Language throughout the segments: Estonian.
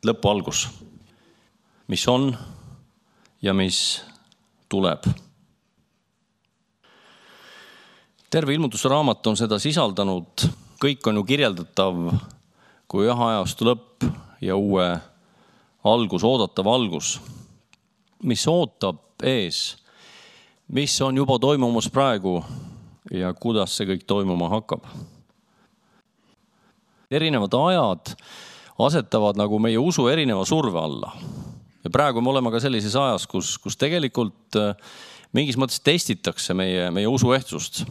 lõpu algus, mis on ja mis tuleb. Terve ilmutuse raamat on seda sisaldanud, kõik on ju kirjeldatav kui ühe ajastu lõpp ja uue algus, oodatav algus, mis ootab ees, mis on juba toimumas praegu ja kuidas see kõik toimuma hakkab. Erinevad ajad asetavad nagu meie usu erineva surve alla. Ja praegu me oleme ka sellises ajas, kus tegelikult mingis mõttes testitakse meie usu ehtsust.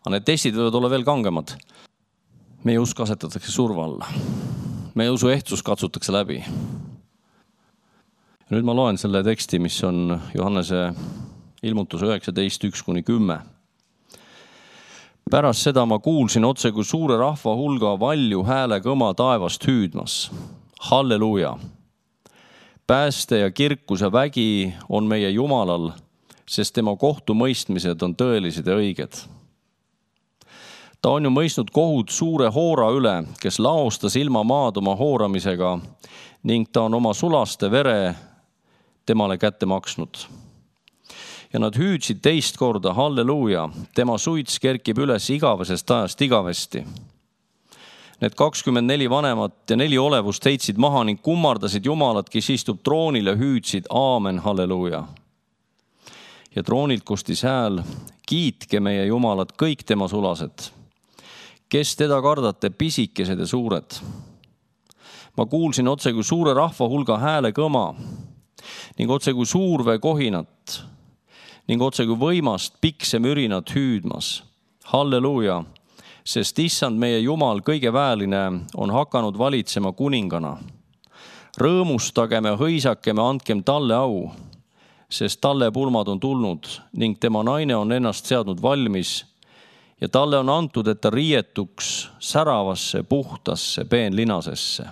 Aga need testid võivad olla veel kangemad. Meie usk asetatakse surve alla. Meie usu ehtsus katsutakse läbi. Ja nüüd ma loen selle teksti, mis on Johannese ilmutuse 19:1-10. Pärast seda ma kuulsin otse kui suure rahva hulga valju hääle kõma taevast hüüdmas. Halleluuja! Pääste ja kirkus ja vägi on meie Jumalal, sest tema kohtumõistmised on tõelised ja õiged. Ta on ju mõistnud kohut suure hoora üle, kes laostas ilma maad oma hooramisega ning ta on oma sulaste vere temale kätte maksnud. Ja nad hüüdsid teist korda, halleluuja, tema suits kerkib üles igavesest ajast igavesti. Need 24 vanemat ja 4 olevust heitsid maha ning kummardasid Jumalat, kes istub troonil ja hüüdsid, aamen, halleluuja. Ja troonilt kostis hääl, kiitke meie Jumalat kõik tema sulased, kes teda kardate, pisikesed ja suured. Ma kuulsin otse kui suure rahva hulga hääle kõma ning otse kui suurvee kohinat ning otse kui võimast pikse mürinat hüüdmas. Halleluuja, sest issand meie Jumal kõige väeline on hakanud valitsema kuningana. Rõõmustagem ja hõisakem ja andkem talle au, sest talle pulmad on tulnud ning tema naine on ennast seadnud valmis ja talle on antud, et ta riietuks säravasse, puhtasse peenlinasesse.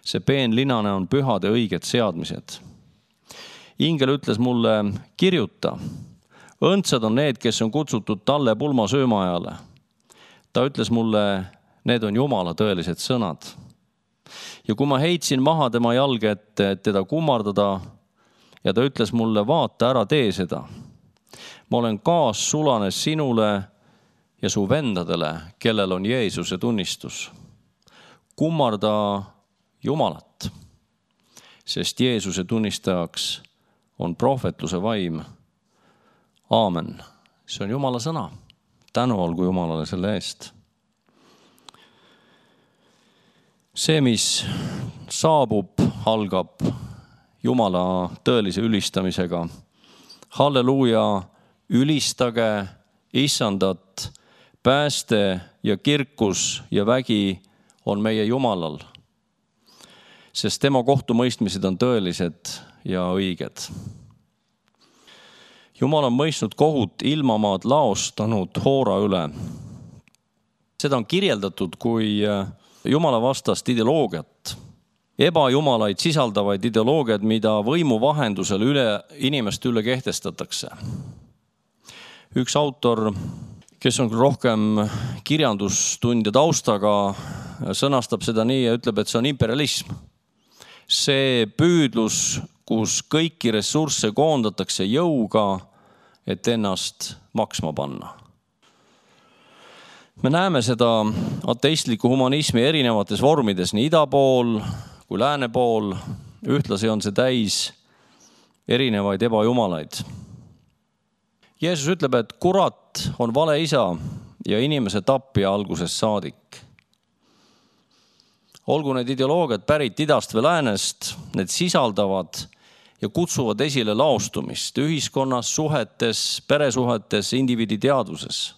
See peenlinane on pühad ja õiged seadmised. Ingel ütles mulle, kirjuta, õndsad on need, kes on kutsutud talle pulma söömaajale. Ta ütles mulle, need on Jumala tõelised sõnad. Ja kui ma heitsin maha tema jalge ette, et teda kummardada, ja ta ütles mulle, vaata, ära tee seda. Ma olen kaassulane sinule ja su vendadele, kellel on Jeesuse tunnistus. Kummarda Jumalat, sest Jeesuse tunnistajaks on prohvetluse vaim. Aamen. See on Jumala sõna. Tänu olgu Jumalale selle eest. See, mis saabub, algab Jumala tõelise ülistamisega. Halleluuja, ülistage issandat, pääste ja kirkus ja vägi on meie Jumalal, sest tema kohtumõistmised on tõelised ja õiged. Jumal on mõistnud kohut ilmamaad laostanud hoora üle. Seda on kirjeldatud kui Jumala vastast ideoloogiat, ebajumalaid sisaldavaid ideoloogiad, mida võimu vahendusel inimeste üle kehtestatakse. Üks autor, kes on rohkem kirjandustundja taustaga, sõnastab seda nii ja ütleb, et see on imperialism. See püüdlus, kus kõiki ressursse koondatakse jõuga, et ennast maksma panna. Me näeme seda ateistliku humanismi erinevates vormides, nii ida pool kui lääne pool. Ühtlasi on see täis erinevaid ebajumalaid. Jeesus ütleb, et kurat on vale isa ja inimese tapja algusest saadik. Olgu need ideoloogiad pärit idast või läänest, need sisaldavad ja kutsuvad esile laostumist ühiskonnas, suhetes, peresuhetes, indiviidi teadvuses.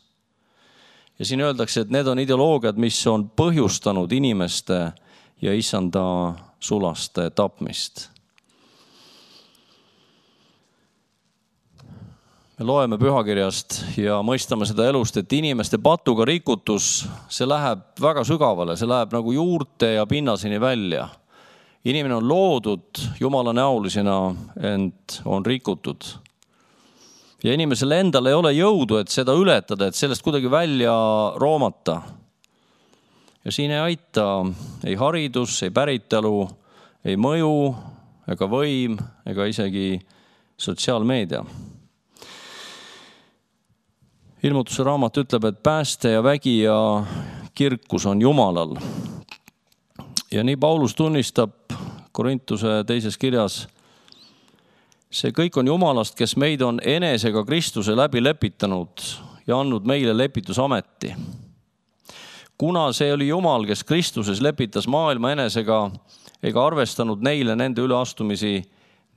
Ja siin öeldakse, et need on ideoloogiad, mis on põhjustanud inimeste ja issanda sulaste tapmist. Me loeme pühakirjast ja mõistame seda elust, et inimeste patuga rikutus, see läheb väga sügavale, see läheb nagu juurte ja pinnaseni välja. Inimene on loodud Jumala näolisena, ent on rikutud. Ja inimesel endal ei ole jõudu, et seda ületada, et sellest kuidagi välja roomata. Ja siin ei aita ei haridus, ei päritelu ei mõju ega võim ega isegi sotsiaalmeedia. Ilmutuse raamat ütleb, et pääste ja vägi ja kirkus on Jumalal. Ja nii Paulus tunnistab Korintuse 2. kirjas, see kõik on Jumalast, kes meid on enesega Kristuse läbi lepitanud ja andnud meile lepitusameti. Kuna see oli Jumal, kes Kristuses lepitas maailma enesega ega arvestanud neile nende üleastumisi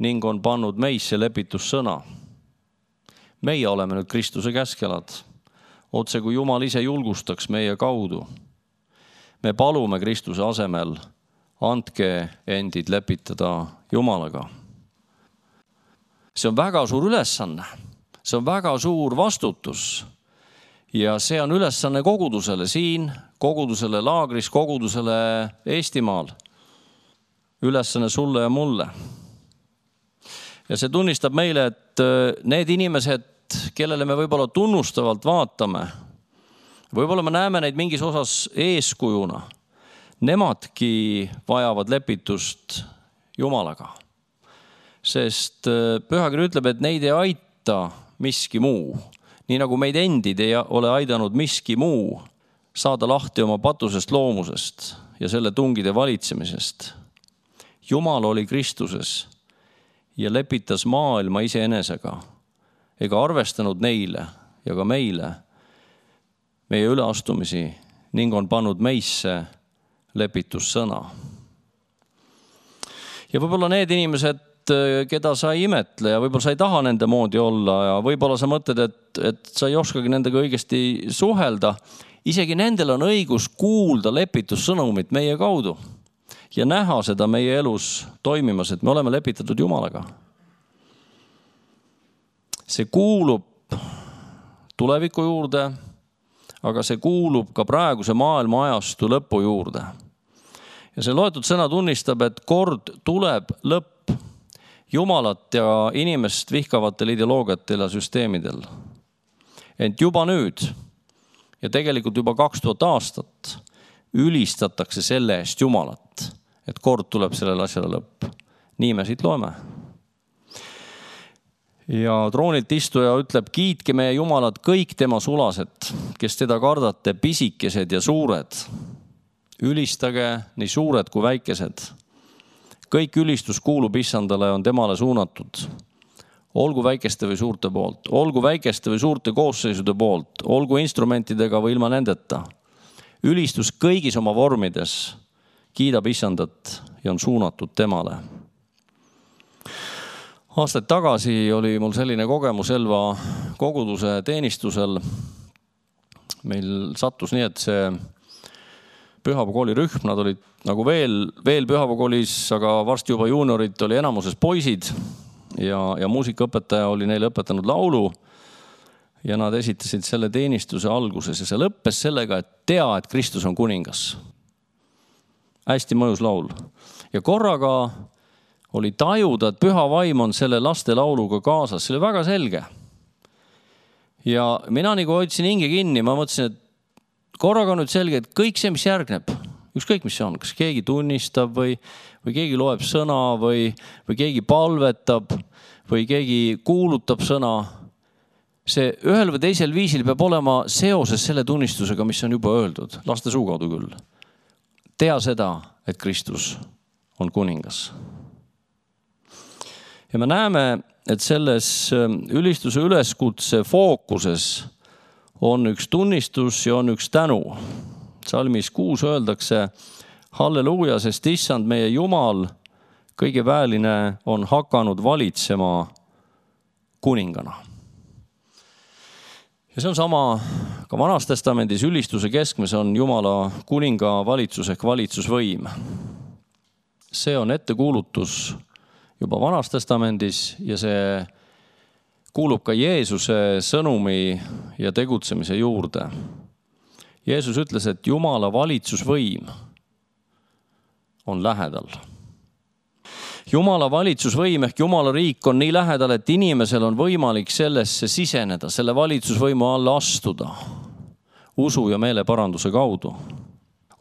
ning on pannud meisse lepitussõna. Meie oleme nüüd Kristuse käskelad, otse kui Jumal ise julgustaks meie kaudu. Me palume Kristuse asemel, andke endid lepitada Jumalaga. See on väga suur ülesanne, see on väga suur vastutus ja see on ülesanne kogudusele siin, kogudusele laagris, kogudusele Eestimaal. Ülesanne sulle ja mulle. Ja see tunnistab meile, et need inimesed, kellele me võib-olla tunnustavalt vaatame, võib-olla me näeme neid mingis osas eeskujuna, nemadki vajavad lepitust Jumalaga. Sest Pühakiri ütleb, et neid ei aita miski muu. Nii nagu meid endid ei ole aidanud miski muu saada lahti oma patusest loomusest ja selle tungide valitsemisest. Jumal oli Kristuses ja lepitas maailma iseenesega ega arvestanud neile ja ka meile meie üleastumisi ning on pannud meisse lepitussõna. Ja võib-olla need inimesed, keda sa ei imetle ja võib-olla sa ei taha nende moodi olla ja võib-olla sa mõtled, et sa ei oskagi nendega õigesti suhelda, isegi nendel on õigus kuulda lepitussõnumit meie kaudu ja näha seda meie elus toimimas, et me oleme lepitatud Jumalaga. See kuulub tuleviku juurde, aga see kuulub ka praeguse maailma ajastu lõpu juurde. Ja see loetud sõna tunnistab, et kord tuleb lõpp Jumalat ja inimest vihkavatel ideoloogiatel ja süsteemidel. Ent juba nüüd ja tegelikult juba 2000 aastat ülistatakse selle eest Jumalat, et kord tuleb sellele asjale lõpp. Nii me siit loeme. Ja troonilt istuja ütleb, kiitke meie Jumalat kõik tema sulased, kes teda kardate, pisikesed ja suured. Ülistage nii suured kui väikesed. Kõik ülistus kuulub Issandale on temale suunatud. Olgu väikeste või suurte poolt, olgu väikeste või suurte koosseisude poolt, olgu instrumentidega või ilma nendeta. Ülistus kõigis oma vormides kiidab Issandat ja on suunatud temale. Aastaid tagasi oli mul selline kogemus Elva koguduse teenistusel. Meil sattus nii, et see pühapäevakooli rühm, nad olid nagu veel pühapäevakoolis, aga varsti juba juuniorid oli enamuses poisid ja muusikaõpetaja oli neile õpetanud laulu ja nad esitasid selle teenistuse alguses ja see lõppes sellega, et tea, et Kristus on kuningas. Hästi mõjus laul. Ja korraga oli tajuda, et püha vaim on selle laste lauluga kaasas. See oli väga selge. Ja mina nagu hoidsin hinge kinni, ma mõtlesin, et korraga on nüüd selge, et kõik see, mis järgneb, ükskõik mis see on, kas keegi tunnistab või keegi loeb sõna või keegi palvetab või keegi kuulutab sõna, see ühel või teisel viisil peab olema seoses selle tunnistusega, mis on juba öeldud, laste suu kaudu küll. Tea seda, et Kristus on kuningas. Ja me näeme, et selles ülistuse üleskutse fookuses on üks tunnistus ja on üks tänu. Salmis 6 öeldakse, halleluuja, sest Issand meie Jumal, kõige väeline on hakanud valitsema kuningana. Ja see on sama ka Vanas Testamendis ülistuse keskmes on Jumala kuninga valitsus ehk valitsusvõim. See on ettekuulutus juba Vanas Testamendis ja see kuulub ka Jeesuse sõnumi ja tegutsemise juurde. Jeesus ütles, et Jumala valitsusvõim on lähedal. Jumala valitsusvõim ehk Jumala riik on nii lähedal, et inimesel on võimalik sellesse siseneda, selle valitsusvõimu alla astuda, usu ja meeleparanduse kaudu.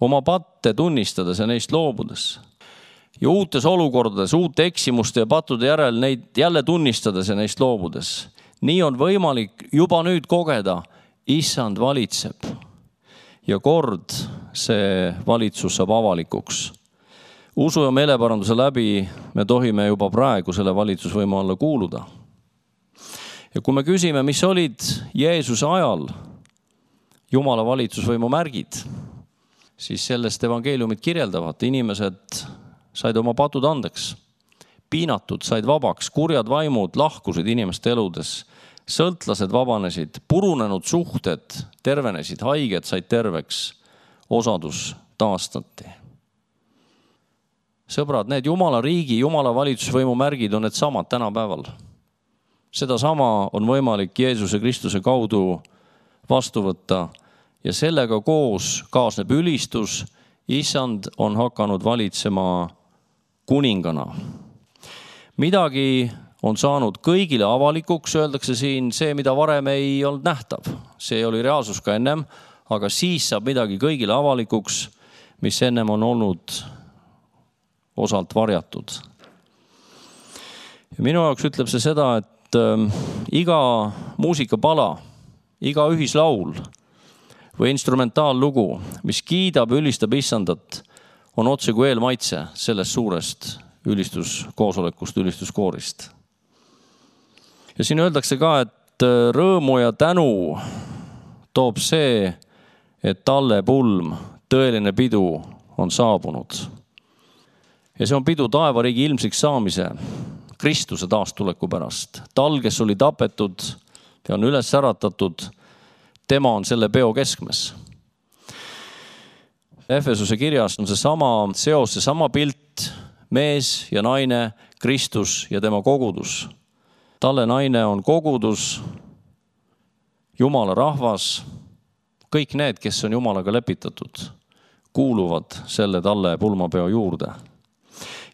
Oma patte tunnistades ja neist loobudes. ja uutes olukordades, uute eksimuste ja pattude järel neid jälle tunnistades ja neist loobudes. Nii on võimalik juba nüüd kogeda, issand valitseb ja kord see valitsus saab avalikuks. Usu ja meeleparanduse läbi me tohime juba praegu selle valitsusvõimu alla kuuluda. Ja kui me küsime, mis olid Jeesuse ajal Jumala valitsusvõimu märgid, siis sellest evangeeliumid kirjeldavad. Inimesed said oma patud andeks, piinatud said vabaks, kurjad vaimud lahkusid inimeste eludes, sõltlased vabanesid, purunenud suhted tervenesid, haiged said terveks, osadus taastati. Sõbrad, need Jumala riigi, Jumala valitsusvõimu märgid on need samad tänapäeval. Seda sama on võimalik Jeesuse Kristuse kaudu vastu võtta ja sellega koos kaasneb ülistus. Issand on hakanud valitsema kuningana. Midagi on saanud kõigile avalikuks, öeldakse siin, see, mida varem ei olnud nähtav. See oli reaalsus ka ennem, aga siis saab midagi kõigile avalikuks, mis ennem on olnud osalt varjatud. Ja minu jaoks ütleb see seda, et iga muusikapala, iga ühislaul või instrumentaallugu, mis kiidab, ülistab issandat, on otse kui eelmaitse sellest suurest ülistuskoosolekust, ülistuskoorist. Ja siin öeldakse ka, et rõõmu ja tänu toob see, et talle pulm, tõeline pidu on saabunud. Ja see on pidu taevariigi ilmsiks saamise, Kristuse taastuleku pärast. Tal, kes oli tapetud ja on üles äratatud, tema on selle peo keskmes. Efesuse kirjas on see sama seos, see sama pilt, mees ja naine, Kristus ja tema kogudus. Talle naine on kogudus, Jumala rahvas, kõik need, kes on Jumalaga lepitatud, kuuluvad selle talle pulmapeo juurde.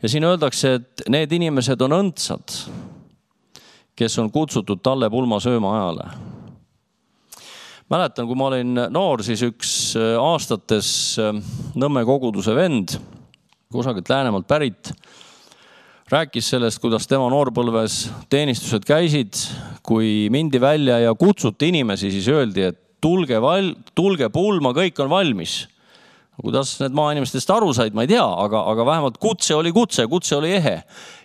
Ja siin öeldakse, et need inimesed on õndsad, kes on kutsutud talle pulma sööma ajale. Mäletan, kui ma olin noor, siis üks aastates Nõmme koguduse vend, kusagilt Läänemaalt pärit, rääkis sellest, kuidas tema noorpõlves teenistused käisid, kui mindi välja ja kutsuti inimesi, siis öeldi, et tulge pulma, kõik on valmis. Kuidas need maainimestest aru said, ma ei tea, aga vähemalt kutse oli ehe.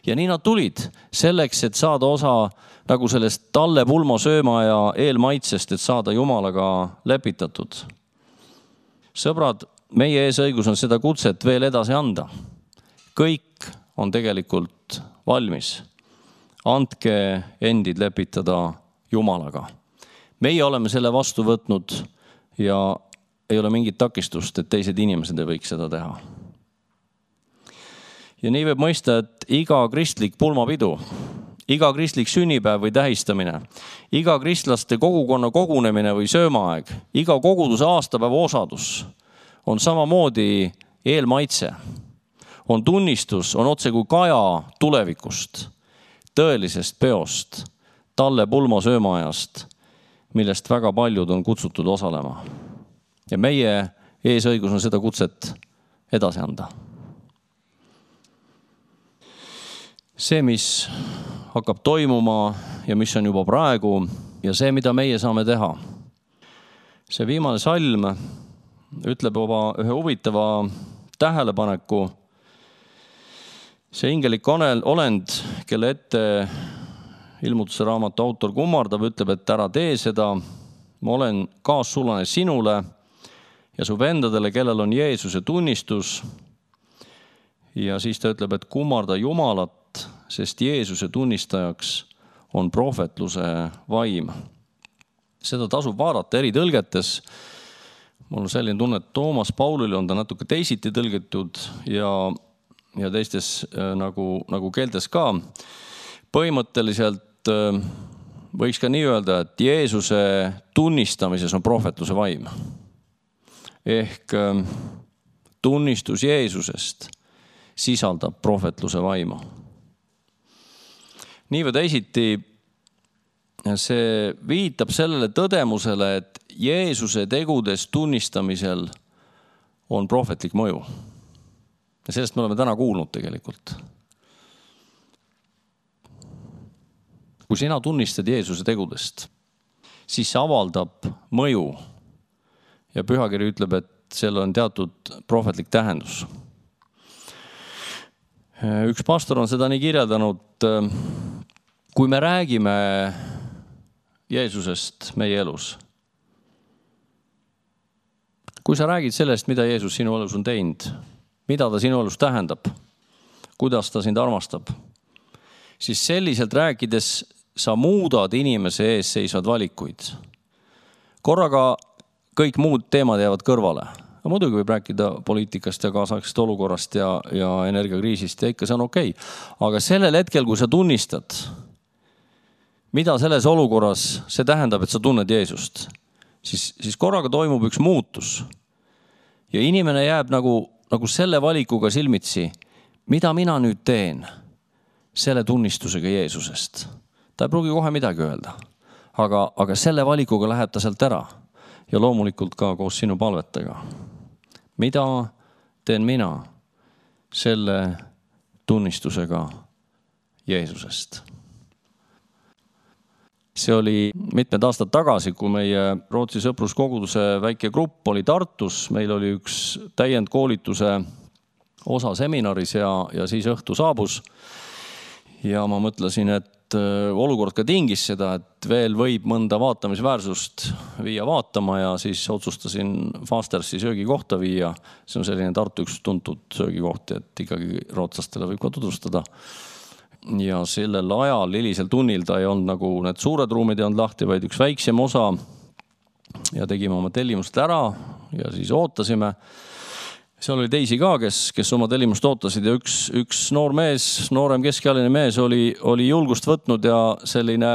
Ja nii nad tulid selleks, et saada osa nagu sellest talle pulma sööma ja eelmaitsest, et saada Jumalaga lepitatud. Sõbrad, meie eesõigus on seda kutset veel edasi anda. Kõik on tegelikult valmis. Andke endid lepitada Jumalaga. Meie oleme selle vastu võtnud ja ei ole mingit takistust, et teised inimesed ei võiks seda teha. Ja nii võib mõista, et iga kristlik pulmapidu, iga kristlik sünnipäev või tähistamine, iga kristlaste kogukonna kogunemine või söömaaeg, iga koguduse aastapäeva osadus on samamoodi eelmaitse. On tunnistus, on otse kui kaja tulevikust, tõelisest peost, talle pulma söömaajast, millest väga paljud on kutsutud osalema. Ja meie eesõigus on seda kutset edasi anda. See, mis hakkab toimuma ja mis on juba praegu ja see, mida meie saame teha. See viimane salm ütleb ühe huvitava tähelepaneku. See ingelik olend, kelle ette ilmutuse raamatu autor kummardab, ütleb, et ära tee seda. Ma olen kaassulane sinule ja su vendadele, kellel on Jeesuse tunnistus. Ja siis ta ütleb, et kummarda Jumalat, sest Jeesuse tunnistajaks on prohvetluse vaim. Seda tasub vaadata eri tõlgetes. Mul on selline tunne, et Toomas Paulil on ta natuke teisiti tõlgitud ja teistes nagu keeltes ka. Põhimõtteliselt võiks ka nii öelda, et Jeesuse tunnistamises on prohvetluse vaim. Ehk tunnistus Jeesusest sisaldab prohvetluse vaimu. Nii või teisiti see viitab sellele tõdemusele, et Jeesuse tegudes tunnistamisel on prohvetlik mõju. Ja sellest me oleme täna kuulnud tegelikult. Kui sina tunnistad Jeesuse tegudest, siis see avaldab mõju. Ja Pühakiri ütleb, et seal on teatud prohvetlik tähendus. Üks pastor on seda nii kirjeldanud, kui me räägime Jeesusest meie elus. Kui sa räägid sellest, mida Jeesus sinu elus on teinud, mida ta sinu elus tähendab, kuidas ta sind armastab, siis selliselt rääkides sa muudad inimese ees seisvad valikuid. Korraga kõik muud teemad jäävad kõrvale. Muidugi võib rääkida poliitikast ja kaasaegsest olukorrast ja energiakriisist ja ikka see on okei. Aga sellel hetkel, kui sa tunnistad, mida selles olukorras see tähendab, et sa tunned Jeesust, siis korraga toimub üks muutus. Ja inimene jääb nagu selle valikuga silmitsi, mida mina nüüd teen selle tunnistusega Jeesusest. Ta ei pruugi kohe midagi öelda, aga selle valikuga läheb ta sealt ära ja loomulikult ka koos sinu palvetega. Mida teen mina selle tunnistusega Jeesusest? See oli mitmed aastad tagasi, kui meie Rootsi sõpruskoguduse väike grupp oli Tartus. Meil oli üks täiendkoolituse osa seminaris ja siis õhtu saabus. Ja ma mõtlesin, et olukord ka tingis seda, et veel võib mõnda vaatamisväärsust viia vaatama ja siis otsustasin Fastersi söögikohta viia. See on selline Tartu üks tuntud söögikoht, et ikkagi rootslastele võib ka tutvustada. Ja sellel ajal, hilisel tunnil ta ei olnud nagu need suured ruumid ei olnud lahti, vaid üks väiksem osa ja tegime oma tellimust ära ja siis ootasime. Seal oli teisi ka, kes oma tellimust ootasid ja üks noor mees, noorem keskealine mees oli julgust võtnud ja selline,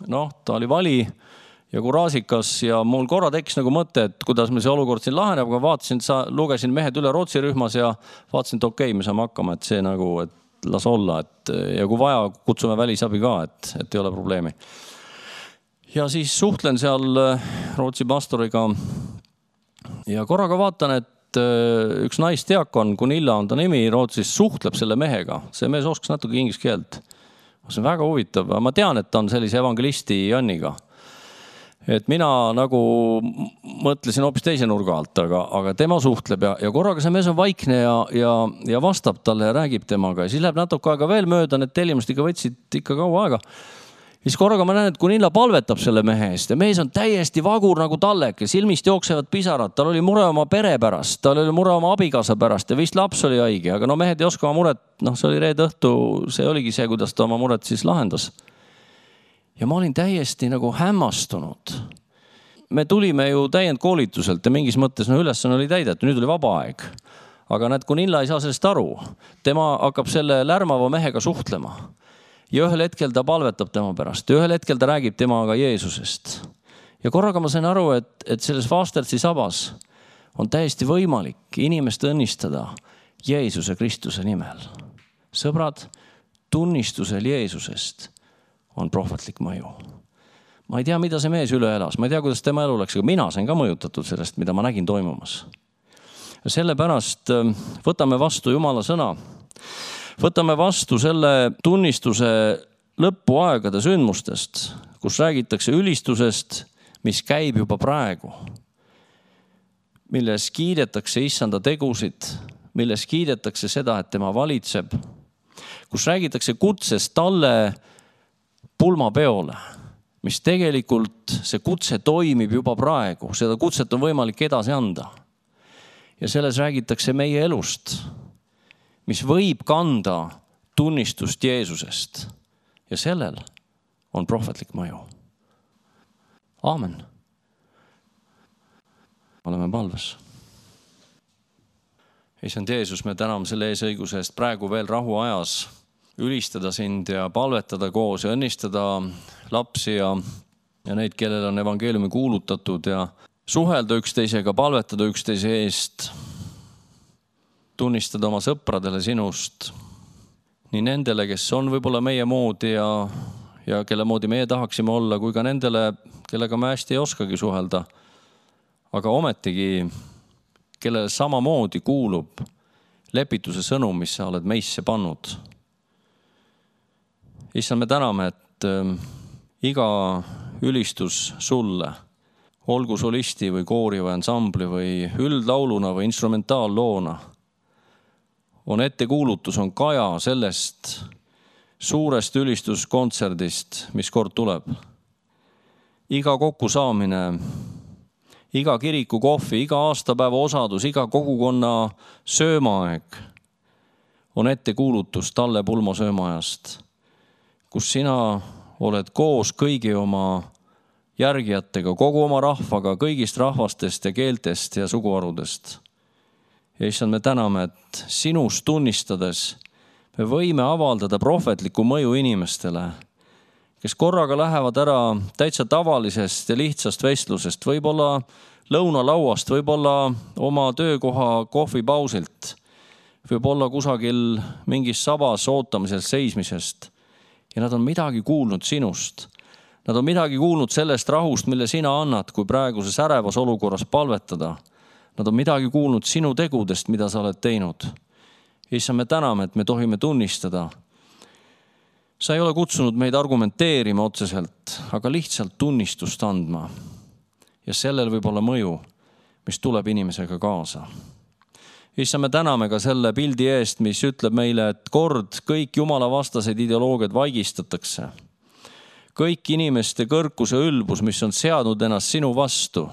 ta oli vali ja kuraasikas ja mul korra tekkis nagu mõte, et kuidas me see olukord siin laheneb, aga vaatasin, lugesin mehed üle Rootsi rühmas ja vaatasin, et okei, me saame hakkama, et see nagu, et las olla, ja kui vaja, kutsume välisabi ka, et ei ole probleemi. Ja siis suhtlen seal Rootsi pastoriga ja korraga vaatan, et üks naisteakon, Gunilla on ta nimi, Rootsis suhtleb selle mehega. See mees oskas natuke inglise keelt. See on väga huvitav. Ma tean, et ta on sellise evangelisti Janniga. Et mina nagu mõtlesin hoopis teise nurga alt, aga tema suhtleb ja korraga see mees on vaikne ja vastab talle ja räägib temaga. Ja siis läheb natuke aega veel mööda, need tellimust ikka võtsid ikka kaua aega. Ja siis korraga ma näen, et Gunilla palvetab selle mehe eest ja mees on täiesti vagur nagu tallek ja silmist jooksevad pisarad. Tal oli mure oma pere pärast, tal oli mure oma abikaasa pärast ja vist laps oli haige, aga mehed ei oska oma muret, see oli reede õhtu, see oligi see, kuidas ta oma muret siis lahendas. Ja ma olin täiesti nagu hämmastunud. Me tulime ju täiendkoolituselt ja mingis mõttes ülesanne oli täidetud, nüüd oli vaba aeg. Aga näed, Gunilla ei saa sellest aru. Tema hakkab selle lärmava mehega suhtlema. Ja ühel hetkel ta palvetab tema pärast. Ja ühel hetkel ta räägib temaga Jeesusest. Ja korraga ma sain aru, et selles Fastersi sabas on täiesti võimalik inimest õnnistada Jeesuse Kristuse nimel. Sõbrad, tunnistusel Jeesusest on prohvetlik mõju. Ma ei tea, mida see mees üle elas. Ma ei tea, kuidas tema elu läks, aga mina sain ka mõjutatud sellest, mida ma nägin toimumas. Ja sellepärast võtame vastu Jumala sõna. Võtame vastu selle tunnistuse lõpuaegade sündmustest, kus räägitakse ülistusest, mis käib juba praegu. Milles kiidetakse issanda tegusid, milles kiidetakse seda, et tema valitseb. Kus räägitakse kutsest talle pulmapeole, mis tegelikult see kutse toimib juba praegu. Seda kutset on võimalik edasi anda. Ja selles räägitakse meie elust, mis võib kanda tunnistust Jeesusest. Ja sellel on prohvetlik mõju. Aamen. Oleme palves. Issand Jeesus, me täname selle eesõiguse eest praegu veel rahuajas ülistada sind ja palvetada koos ja õnnistada lapsi ja neid, kellel on evangeeliumi kuulutatud ja suhelda üksteisega, palvetada üksteise eest, tunnistada oma sõpradele sinust, nii nendele, kes on võib-olla meie moodi ja kelle moodi meie tahaksime olla, kui ka nendele, kellega me hästi ei oskagi suhelda, aga ometigi, kellele samamoodi kuulub lepituse sõnum, mis sa oled meisse pannud. Issand, me täname, et iga ülistus sulle, olgu solisti või koori või ansambli või üldlauluna või instrumentaalloona, on ettekuulutus, on kaja sellest suurest ülistuskontserdist, mis kord tuleb. Iga kokkusaamine, iga kiriku kohvi, iga aastapäeva osadus, iga kogukonna söömaaeg on ettekuulutus Talle Pulmo söömaajast, kus sina oled koos kõigi oma järgijatega, kogu oma rahvaga, kõigist rahvastest ja keeltest ja suguharudest. Ja issand, me täname, et sinust tunnistades me võime avaldada prohvetlikku mõju inimestele, kes korraga lähevad ära täitsa tavalisest ja lihtsast vestlusest, võib-olla lõunalauast, võib-olla oma töökoha kohvipausilt, võib-olla kusagil mingis sabas ootamisel seismisest. Ja nad on midagi kuulnud sinust. Nad on midagi kuulnud sellest rahust, mille sina annad, kui praeguses ärevas olukorras palvetada. Nad on midagi kuulnud sinu tegudest, mida sa oled teinud. Issand, me täname, et me tohime tunnistada. Sa ei ole kutsunud meid argumenteerima otseselt, aga lihtsalt tunnistust andma. Ja sellel võib olla mõju, mis tuleb inimesega kaasa. Issand, me täname ka selle pildi eest, mis ütleb meile, et kord kõik jumala vastased ideoloogiad vaigistatakse. Kõik inimeste kõrkus ja ülbus, mis on seadnud ennast sinu vastu,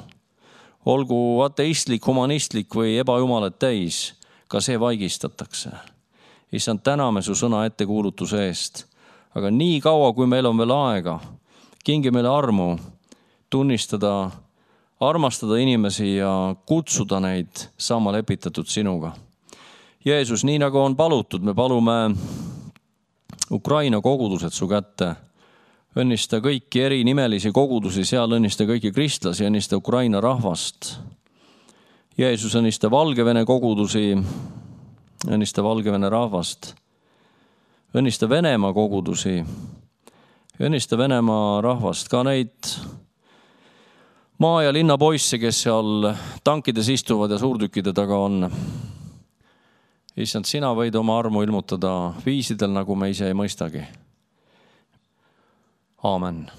olgu ateistlik, humanistlik või ebajumalat täis, ka see vaigistatakse. Issand, täname su sõna ettekuulutuse eest. Aga nii kaua, kui meil on veel aega, kingi meile armu tunnistada, armastada inimesi ja kutsuda neid saama lepitatud sinuga. Jeesus, nii nagu on palutud, me palume Ukraina kogudused su kätte. Õnnista kõiki erinimelisi kogudusi, seal õnnista kõiki kristlasi, õnnista Ukraina rahvast. Jeesus, õnnista Valgevene kogudusi, õnnista Valgevene rahvast. Õnnista Venemaa kogudusi, õnnista Venemaa rahvast, ka neid maa- ja linnapoisse, kes seal tankides istuvad ja suurtükkide taga on. Issand, sina võid oma armu ilmutada viisidel, nagu me ise ei mõistagi. Aamen.